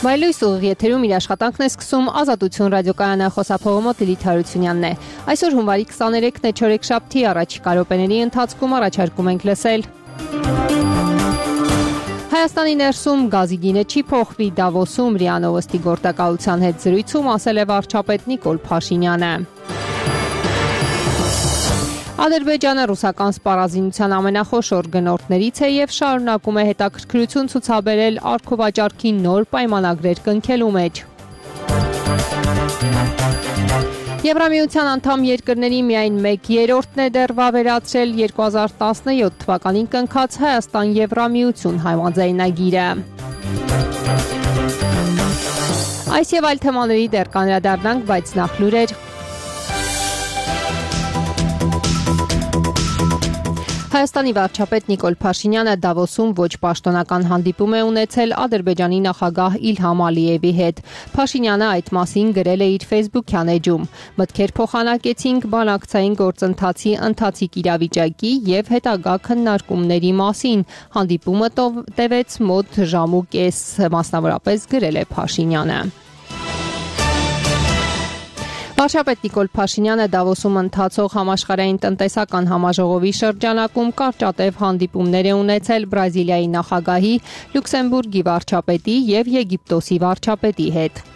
Վայելույս ուղիղ եթերում իր աշխատանքն է սկսում Ազատություն ռադիոկայանը, խոսափողը մոտ Լիլիթ Հարությունյանն է։ Այսօր հունվարի 23-ն է, չորեքշաբթի, առաջիկա րոպեների ընթացքում առաջարկում ենք լսել. Հայաստանի ներսում գազի գինը չի փոխվի, Դավոսում ՌԻԱ Նովոստի գործակալության հետ զրույցում ասել է վարչապետ Նիկոլ Փաշինյանը։ Ադրբեջանը ռուսական սպառազինության ամենախոշոր գնորդներից է և շարունակում է հետաքրքրություն ցուցաբերել արգովաճառքի նոր պայմանագրեր կնքելու մեջ։ Եվրամիության անդամ երկրների միայն 1/3-ն է դեռ վավերացրել 2017 թվականին կնքած Հայաստան-Եվրամիություն համաձայնագիրը։ Այս և այլ թեմաների դեռ կանդրադառնանք, բայց նախ լուրեր։ Հայաստանի վարչապետ Նիկոլ Փաշինյանը Դավոսում ոչ պաշտոնական հանդիպում է ունեցել Ադրբեջանի նախագահ Իլհամ Ալիևի հետ։ Փաշինյանը այդ մասին գրել է իր Facebook-յան էջում. «Մտքեր փոխանակեցինք բանակցային գործընթացի ընթացիկ իրավիճակի և հետագա քննարկումների մասին։ Հանդիպումը տևեց մոտ ժամ ու կես», մասնավորապես գրել է Փաշինյանը։ Վարչապետ Նիկոլ Փաշինյանը Դավոսում ընթացող համաշխարհային տնտեսական համաժողովի շրջանակում կարճատև հանդիպումներ է ունեցել Բրազիլիայի նախագահի, Լյուքսեմբուրգի վարչապետի և Եգիպտոսի վարչապետի հետ։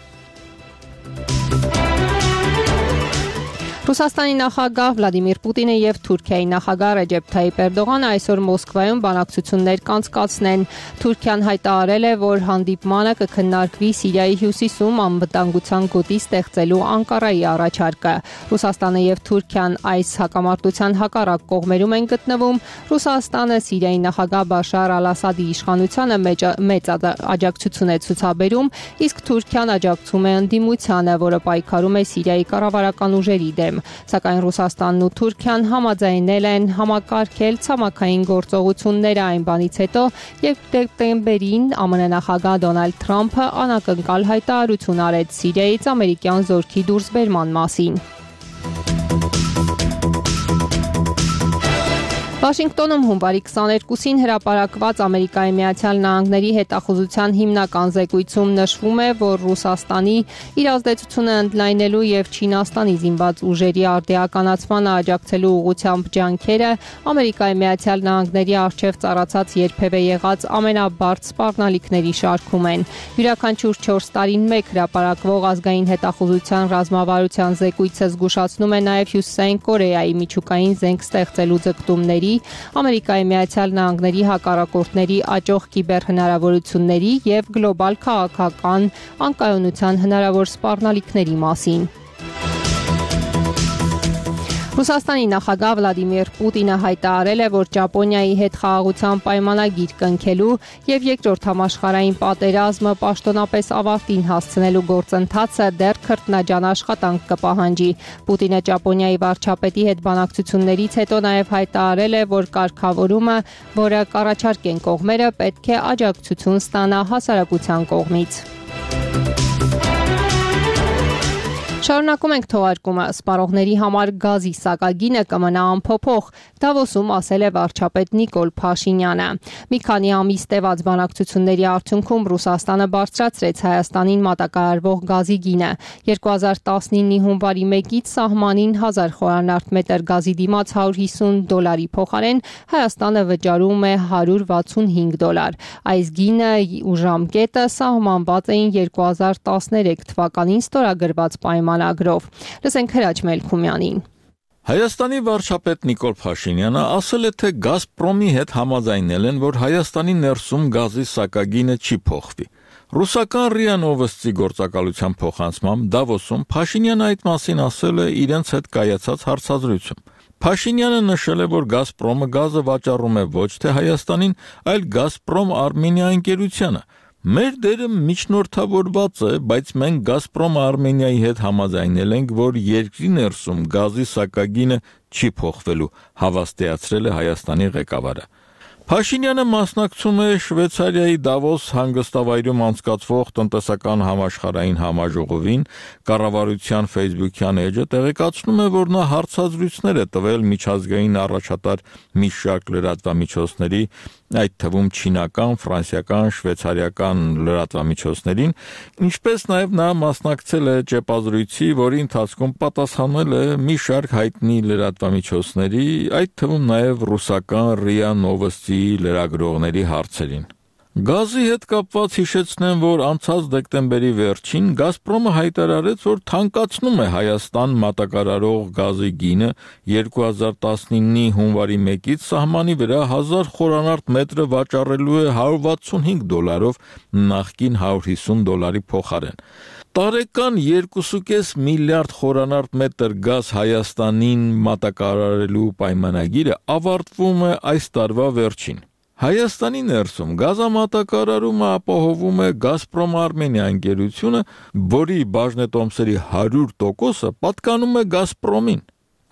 Ռուսաստանի նախագահ Վլադիմիր Պուտինը և Թուրքիայի նախագահ Ռեջեփ Թայիփ Էրդողանը այսօր Մոսկվայում բանակցություններ կանցկացնեն։ Թուրքիան հայտարարել է, որ հանդիպմանը կքննարկվի Սիրիայի հյուսիսում անվտանգության գոտի ստեղծելու Անկարայի առաջարկը։ Ռուսաստանը և Թուրքիան այս հակամարտության հակառակ կողմերում են գտնվում։ Ռուսաստանը Սիրիայի նախագահ Բաշար Ալ-Ասադի իշխանությանը մեծ աջակցություն է ցուցաբերում, իսկ Թուրքիան աջակցում է ընդդիմությանը, որը պայքարում է Սիրիայի կառավարական ուժերի դեմ։ Սակայն Ռուսաստանն ու Թուրքիան համաձայնել են համակարգել ցամաքային գործողությունները այն բանից հետո, երբ դեկտեմբերին ԱՄՆ նախագահ Դոնալդ Թրամփը անակնկալ հայտարարություն արեց Սիրիայից ամերիկյան զորքի դուրսբերման մասին։ Վաշինգտոնում հունվարի 22-ին հրապարակված Ամերիկայի Միացյալ Նահանգների հետախուզության հիմնական զեկույցում նշվում է, որ Ռուսաստանի իր ազդեցությունը ընդլայնելու և Չինաստանի զինված ուժերի արդիականացմանը աջակցելու ուղղությամբ ջանքերը Ամերիկայի Միացյալ Նահանգների առջև ծառացած երբևէ եղած ամենաբարդ սպառնալիքների շարքում են։ Յուրաքանչյուր 4 տարին մեկ հրապարակվող ազգային հետախուզության ռազմավարության զեկույցը զգուշացնում է նաև Հյուսիսային Կորեայի միջուկային զենք ստեղծելու ձգտումների, Ամերիկայի Միացյալ Նահանգների հակառակորդների աճող կիբերհնարավորությունների և գլոբալ քաղաքական անկայունության հնարավոր սպառնալիքների մասին։ Ռուսաստանի նախագահ Վլադիմիր Պուտինը հայտարարել է, որ Ճապոնիայի հետ խաղաղության պայմանագիր կնքելու և երկրորդ համաշխարհային պատերազմը պաշտոնապես ավարտին հասցնելու գործընթացը դեռ քրտնաջան աշխատանք կպահանջի։ Պուտինը Ճապոնիայի վարչապետի հետ բանակցություններից հետո նաև հայտարարել է, որ կարգավորումը, որը կառաջարկեն կողմերը, պետք է աջակցություն ստանա հասարակության կողմից։ Շարունակում ենք թողարկումը։ Սպառողների համար գազի սակագինը կմնա անփոփոխ, Դավոսում ասել է վարչապետ Նիկոլ Փաշինյանը։ Մի քանի ամիս տևած բանակցությունների արդյունքում Ռուսաստանը բարձրացրեց Հայաստանին մատակարարվող գազի գինը։ 2019-ի հունվարի 1-ից սահմանին 1000 խորանարդ մետր գազի դիմաց $150 փոխարեն Հայաստանը վճարում է $165։ Այս գինը ու ժամկետը սահմանված էին 2013 թվականին ստորագրված պայմանագրով։ Լսենք Հրաչ Մելքումյանին։ Հայաստանի վարչապետ Նիկոլ Փաշինյանը ասել է, թե Գազպրոմի հետ համաձայնել են, որ Հայաստանի ներսում գազի սակագինը չի փոխվի։ Ռուսական ՌԻԱ Նովոստի գործակալության փոխանցմամբ Դավոսում Փաշինյանը այդ մասին ասել է իրենց հետ կայացած հարցազրույցում։ Փաշինյանը նշել է, որ Գազպրոմը գազը վաճառում է ոչ թե Հայաստանին, այլ Գազպրոմ Արմենիա ընկերությանը։ Մեր դերը միջնորդավորված է, բայց մենք Գազպրոմ Արմենիայի հետ համաձայնել ենք, որ երկրի ներսում գազի սակագինը չի փոխվելու, հավաստիացրել է Հայաստանի ղեկավարը։ Փաշինյանը մասնակցում է Շվեյցարիայի Դավոս հանգստավայրում անցկացվող տնտեսական համաշխարհային համաժողովին, կառավարության Facebook-յան էջը տեղեկացնում է, որ նա հարցազրույցներ է տվել միջազգային առաջատար մի շարք լրատվամիջոցների, այդ թվում չինական, ֆրանսիական, շվեյցարիական լրատվամիջոցներին, ինչպես նաև նա մասնակցել է ճեպազրույցի, որի ընթացքում պատասխանել է մի շարք հայտնի լրատվամիջոցների, այդ թվում նաև ռուսական ՌԻԱ Նովոստի լրագրողների հարցերին։ Գազի հետ կապված հիշեցնեմ, որ անցած դեկտեմբերի վերջին Գազպրոմը հայտարարեց, որ թանկացնում է Հայաստան մատակարարող գազի գինը 2019-ի հունվարի 1-ից սահմանի վրա 1000 խորանարդ մետրը վաճառելու է $165, նախկին $150 փոխարեն։ Տարեկան 2.5 միլիարդ խորանարդ մետր գազ Հայաստանին մատակարարելու պայմանագիրը ավարտվում է այս տարվա վերջին։ Հայաստանի ներսում գազամատակարարումը ապահովում է Գազպրոմ Արմենիա ընկերությունը, որի բաժնետոմսերի 100%-ը պատկանում է Գազպրոմին։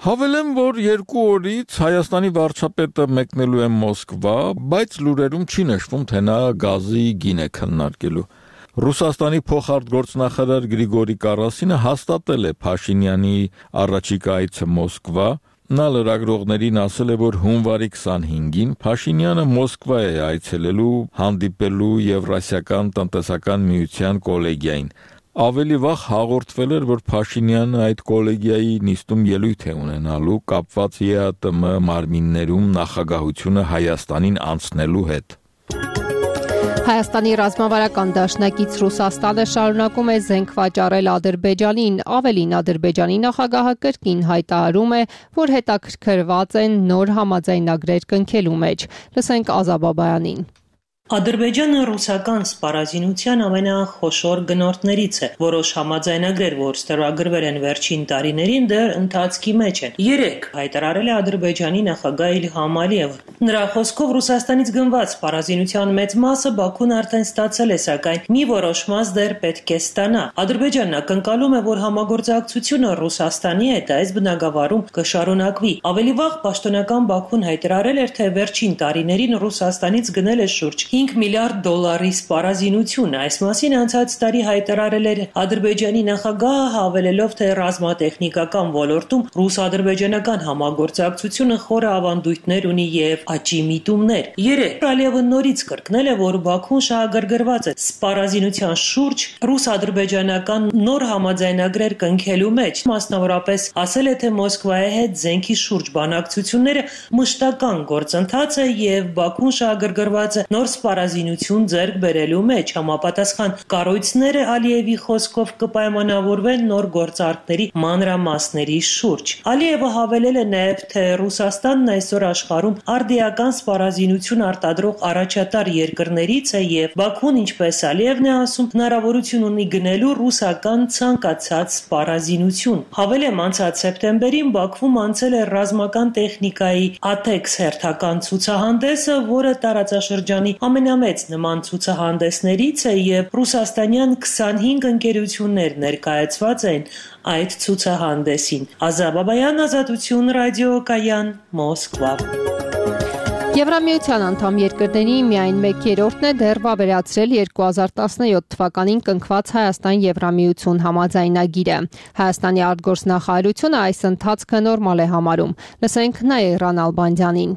Հավելեմ, որ 2 օրից Հայաստանի վարչապետը մեկնելու է Մոսկվա, բայց լուրերում չի նշվում, թե նա գազի գին է քննարկելու։ Ռուսաստանի փոխարտգործնախարար Գրիգորի Կարասինը հաստատել է Փաշինյանի առաջիկա այցը Մոսկվա։ Նա լրագրողներին ասել է, որ հունվարի 25-ին Փաշինյանը Մոսկվա է այցելելու հանդիպելու Եվրասիական տնտեսական միության կոլեգիային։ Ավելի վաղ հաղորդվել էր, որ Փաշինյանը այդ կոլեգիայի նիստում ելույթ է ունենալու կապված ԵԱՏՄ մարմիններում նախագահությունը Հայաստանին անցնելու հետ։ Հայաստանի ռազմավարական դաշնակից Ռուսաստանը շարունակում է զենք վաճառել Ադրբեջանին, ավելին Ադրբեջանի նախագահը կրկին հայտարարում է, որ հետաքրքրված են նոր համաձայնագրեր կնքելու մեջ։ Լսենք Ազաբ Բաբայանին։ Ադրբեջանը ռուսական սպառազինության ամենախոշոր գնորդներից է։ Որոշ համաձայնագրեր, որ ստորագրվել են վերջին տարիներին, դեռ ընթացքի մեջ են։ Երեկ հայտարարել է Ադրբեջանի նախագահ Իլհամ Ալիևը։ Նրա խոսքով Ռուսաստանից գնված սպառազինության մեծ մասը Բաքուն արդեն ստացել է, սակայն մի որոշ մաս դեռ պետք է ստանա։ Ադրբեջանն ակնկալում է, որ համագործակցությունը Ռուսաստանի հետ այս բնագավառում կշարունակվի։ Ավելի վաղ պաշտոնական Բաքուն հայտարարել էր, թե վերջին տարիներին Ռուսաստանից գնել է շուրջ $5 միլիարդ սպառազինություն։ Այս մասին անցած տարի հայտարարել էր Ադրբեջանի նախագահը, հավելելով, թե ռազմատեխնիկական ոլորտում ռուս-ադրբեջանական համագործակցությունը խորը ավանդույթներ ունի եւ աճի միտումներ։ Երեկ Ալիևը նորից կրկնել է, որ Բաքուն շահագրգռված է սպառազինության շուրջ ռուս-ադրբեջանական նոր համաձայնագրեր կնքելու մեջ։ Մասնավորապես ասել է, թե Մոսկվայի հետ զենքի շուրջ բանակցությունները մշտական գործընթաց է եւ Բաքուն շահագրգռված է նոր սպառազինություն ձեռք բերելու մեջ։ Համապատասխան կառույցները Ալիևի խոսքով կպայմանավորվեն նոր գործարքների մանրամասների շուրջ։ Ալիևը հավելել է նաև, թե Ռուսաստանն այսօր աշխարհում արդիական սպառազինություն արտադրող առաջատար երկրներից է եւ Բաքուն, ինչպես Ալիևն է ասում, հնարավորություն ունի գնելու ռուսական ցանկացած սպառազինություն։ Հավելեմ, անցած սեպտեմբերին Բաքվում անցել է ռազմական տեխնիկայի ATEX հերթական ցուցահանդեսը, որը տարածաշրջանի ամենամեծ նման ցուցահանդեսներից է եւ ռուսաստանյան 25 ընկերություններ ներկայացված են այդ ցուցահանդեսին։ Ազաբ Բաբայան, Ազատություն ռադիոկայան, Մոսկվա։ Եվրամիության անդամ երկրների միայն 1/3-ն է դեռ վավերացրել 2017 թվականին կնքված Հայաստան-Եվրամիություն համաձայնագիրը։ Հայաստանի արտգործնախարարությունը այս ընթացքը նորմալ է համարում։ Լսենք Նաիրա Նալբանդյանին։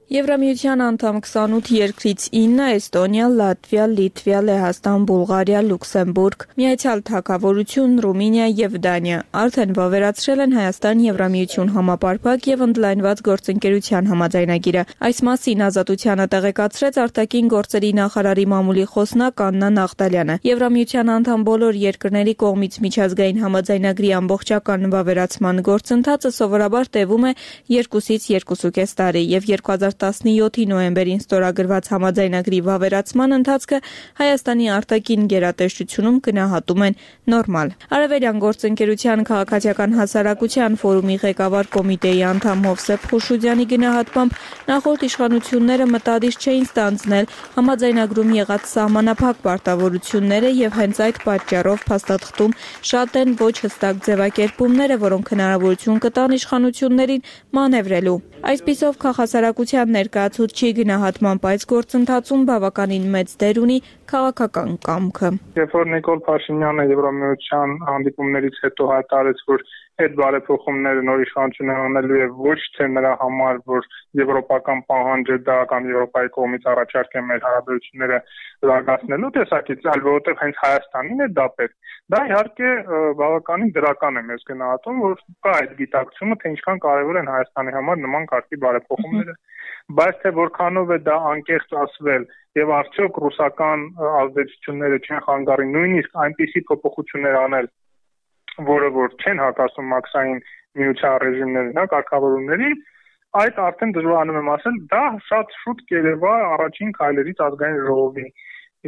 Եվրամիության անդամ 28 երկրից 9՝ Էստոնիա, Լատվիա, Լիտվա, Լեհաստան, Բուլղարիա, Լյուքսեմբուրգ, Միացյալ Թագավորություն, Ռումինիա եւ Դանիա արդեն վավերացրել են Հայաստան-Եվրամիություն համապարփակ եւ ընդլայնված գործընկերության համաձայնագիրը։ Այս մասին Ազատությանը տեղեկացրեց արտաքին գործերի նախարարի մամուլի խոսնակ Աննա Նաղդալյանը։ Եվրամիության անդամ բոլոր երկրների կողմից միջազգային համաձայնագրի ամբողջական վավերացման գործընթացը սովորաբար տևում է 2-ից 2.5 տարի եւ 2017-ի նոյեմբերին ստորագրված համաձայնագրի վավերացման ընթացքը Հայաստանի արտաքին գերատեսչությունում գնահատում են նորմալ։ Արևելյան գործընկերության քաղաքացիական հասարակության ֆորումի ղեկավար կոմիտեի անդամ Հովսեփ Խուշուդյանի գնահատմամբ նախորդ իշխանությունները մտադիր չէին ստանձնել համաձայնագրում եղած սահմանափակ պարտավորությունները եւ հենց այդ պատճառով փաստաթղթում շատ են ոչ հստակ ձևակերպումները, որոնք հնարավորություն կտան իշխանություններին մանևրելու։ Այսպիսով քաղաքասարակության Ադրբեջան ներկայացուցչի գնահատման այս գործընթացում բավականին մեծ դեր ունի քաղաքական կամքը։ Երբ որ Նիկոլ Փաշինյանը Եվրամիության հանդիպումներից հետո հայտարարեց, որ այդ բարեփոխումները նոր իշխանությունը անելու է ոչ թե նրա համար, որ եվրոպական պահանջը դա կամ Եվրոպայի կողմից առաջարկ է մեր հարաբերությունները զարգացնելու տեսակից, այլ որովհետև հենց Հայաստանին է դա պետք։ Դա իհարկե բավականին դրական է մեզ գնահատում, որ կա այդ գիտակցումը, թե ինչքան կարևոր են Հայաստանի համար նման կարգի բարեփոխումները, բայց թե որքանով է դա անկեղծ ասվել եւ արդյոք ռուսական ազդեցությունները չեն խանգարի նույնիսկ այնպիսի փոփոխություններ անել, որը որ չեն հակասում մաքսային միության ռեժիմներին, կարգավորումներին, այդ արդեն դժվարանում եմ ասել, դա շատ շուտ կերևա առաջին քայլերից ազգային ժողովի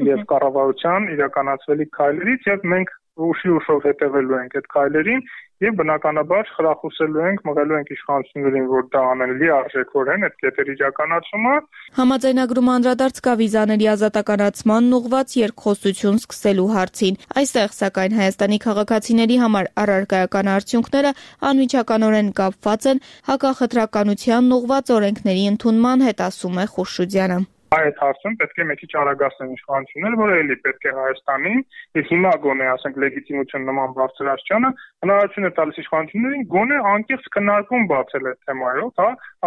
եւ կառավարության իրականացվելիք քայլերից եւ մենք ուշով հետևելու ենք այդ քայլերին եւ բնականաբար խրախուսելու ենք, մղելու ենք իշխանություններին, որ դա անեն լիարժեքորեն այդ կետերի իրականացումը։ Համաձայնագրումը անդրադարձ կա վիզաների ազատականացմանն ուղղված երկխոսություն սկսելու հարցին։ Այստեղ սակայն Հայաստանի քաղաքացիների համար առարկայական արդյունքները անմիջականորեն կապված են հակախտրականությանն ուղղված օրենքների ընդունման հետ, ասում է Խուրշուդյանը։ Այդ հարցում պետք է մի քիչ արագացնեն իշխանությունները, որ էլի պետք է Հայաստանին, եւ հիմա գոնե ասենք լեգիտիմություն նման բարձրացանը հնարավորություն է տալիս իշխանություններին գոնե անկեղծ քննարկում բացել այդ թեմայով,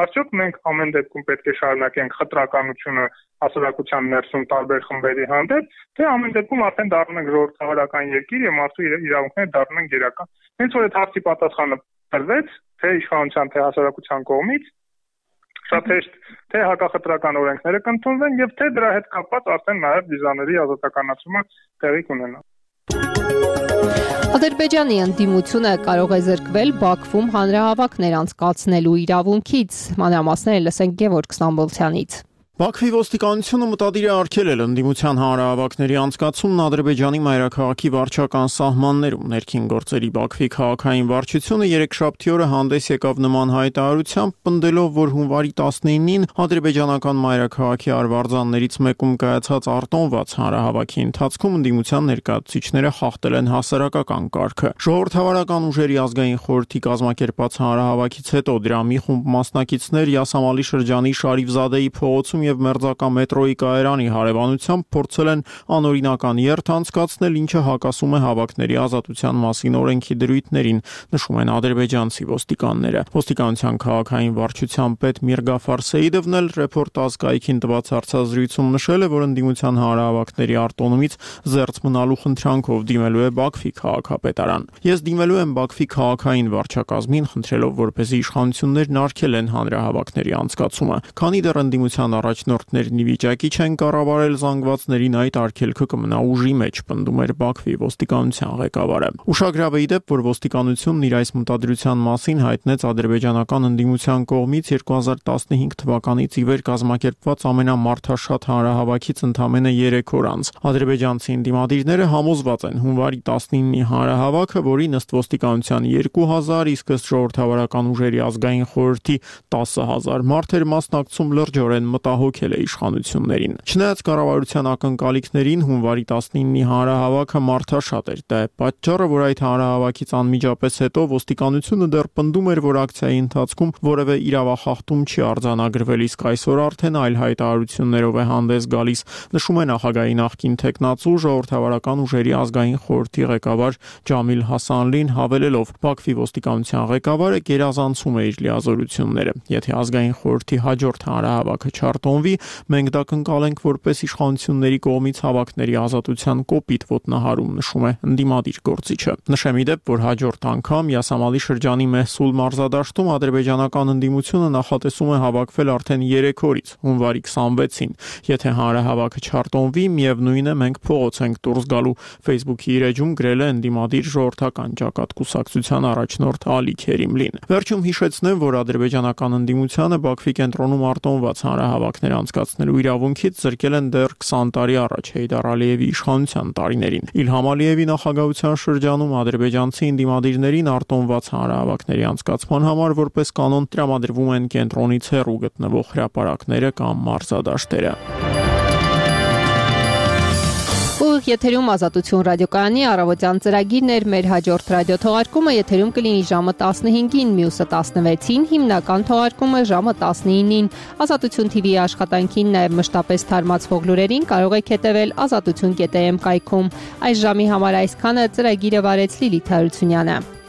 արդյոք մենք ամեն դեպքում պետք է շարունակենք խտրականությունը հասարակության ներսում տարբեր խմբերի հանդեպ, թե ամեն դեպքում արդեն դառնում ենք ժողովրդավարական երկիր եւ մարդու իրավունքները դառնում են գերական։ Հենց որ այդ հարցի պատասխանը տրվեց, թե իշխանության, թե հասարակության կողմից, շատ հեշտ թե հակախտրական օրենքները կընդունվեն եւ թե դրա հետ կապված արդեն նաեւ վիզաների ազատականացումը տեղի կունենա։ Ադրբեջանի ընդդիմությունը կարող է զրկվել Բաքվում հանրահավաքներ անցկացնելու իրավունքից։ Մանրամասները լսենք Գևորգ Ստամբոլցյանից։ Բաքվի ոստիկանությունը մտադիր է արգելել ընդդիմության հանրահավաքների անցկացումն Ադրբեջանի մայրաքաղաքի վարչական սահմաններում։ Ներքին գործերի Բաքվի քաղաքային վարչությունը երեքշաբթի օրը հանդես եկավ նման հայտարարությամբ, պնդելով, որ հունվարի 19-ին ադրբեջանական մայրաքաղաքի արվարձաններից մեկում կայացած արտոնված հանրահավաքի ընթացքում ընդդիմության ներկայացուցիչները խախտել են հասարակական կարգը։ Ժողովրդավարական ուժերի ազգային խորհրդի կազմակերպած հանրահավաքից հետո դրա մի խումբ մասնակիցներ Յասամալի շրջանի Շարիֆզադեի փողոցում եւ Մերձակա մետրոյի կայարանի հարևանությամբ փորձել են անօրինական երթ անցկացնել, ինչը հակասում է հավաքների ազատության մասին օրենքի դրույթներին, նշում են ադրբեջանցի ոստիկանները։ Ոստիկանության քաղաքային վարչության պետ Միրգաֆար Սեիդովն էլ Ռեպորտաժ կայքին տված հարցազրույցում նշել է, որ ընդդիմության հանրահավաքների արտոնումից զերծ մնալու խնդրանքով դիմելու է Բաքվի քաղաքապետարան։ Ես դիմելու եմ Բաքվի քաղաքային վարչակազմին, խնդրելով, որպեսզի իշխանություններն արգելեն հանրահավաքների անցկացումը, քանի դեռ ընդդիմության առաջնորդներն ի վիճակի չեն կառավարել զանգվածներին, այդ արգելքը կմնա ուժի մեջ, պնդում էր Բաքվի ոստիկանության ղեկավարը։ Ուշագրավ է դեպ, որ ոստիկանությունն իր այս մտադրության մասին հայտնեց ադրբեջանական ընդդիմության կողմից 2015 թվականից ի վեր կազմակերպված ամենամարդաշատ հանրահավաքից ընդամենը 3 օր անց։ Ադրբեջանցի ընդդիմադիրները համոզված են հունվարի 19-ի հանրահավաքը, որի ըստ ոստիկանության 2000, իսկ ըստ ժողովրդավարական ուժերի ազգային խորհրդի 10000 մարդ էր մասնակցում, լրջորեն մտահոգել է իշխանություններին։ Չնայած կառավարության ակնկալիքներին հունվարի 19-ի հանրահավաքը մարդաշատ էր։ Դա է պատճառը, որ այդ հանրահավաքից անմիջապես հետո ոստիկանությունը դեռ պնդում էր, որ ակցիայի ընթացքում որևէ իրավախախտում չի արձանագրվել, իսկ այսօր արդեն այլ հայտարարություններով է հանդես գալիս, նշում է նախագահի նախկին տեխնացու ժողովրդավարական ուժերի ազգային խորհրդի ղեկավար Ջամիլ Հասանլին, հավելելով. Բաքվի ոստիկանության ղեկավարը գերազանցում է իր լիազորությունները։ Եթե ազգային խորհրդի հաջորդ հանրահավաքը չարտոնվի, մենք դա կընկալենք որպես իշխանությունների կողմից հավաքների ազատության կոպիտ ոտնահարում, նշում է ընդդիմադիր գործիչը։ Նշեմ ի դեպ, որ հաջորդ անգամ Յասամալի շրջանի Մեհսուլ մարզադաշտում ադրբեջանական ընդդիմությունը նախատեսում է հավաքվել արդեն 3 օրից, հունվարի 26-ին։ Եթե հանրահավաքը չարտոնվի, միևնույն է, մենք փողոց ենք դուրս գալու, Facebook-ի իր էջում գրել է ընդդիմադիր ժողովրդական ճակատ կուսակցության առաջնորդ Ալի Քերիմլին։ Վերջում հիշեցնեմ, որ ադրբեջանական ընդդիմությանը Բաքվի կենտրոնում արտոնված հանրահավաքներ անցկացնելու իրավունքից զրկել են դեռ 20 տարի առաջ Հեյդար Ալիևի իշխանության տարիներին։ Իլհամ Ալիևի նախագահության շրջանում ադրբեջանցի ընդդիմադիրներին արտոնված հանրահավաքների անցկացման համար որպես կանոն տրամադրվում են կենտրոնից հեռու գտնվող հրապարակները կամ մարզադաշտերը։ Ուղիղ եթերում Ազատություն ռադիոկայանի առավոտյան ծրագիրն էր, մեր հաջորդ ռադիոթողարկումը եթերում կլինի ժամը 15-ին, մյուսը 16-ին, հիմնական թողարկումը ժամը 19-ին։ Ազատություն TV-ի աշխատանքին, նաև մշտապես թարմացվող լուրերին կարող եք հետևել azatutun.am կայքում։ Այս ժամի համար այսքանը, ծրագիրը վարեց Լիլիթ Հարությունյանը։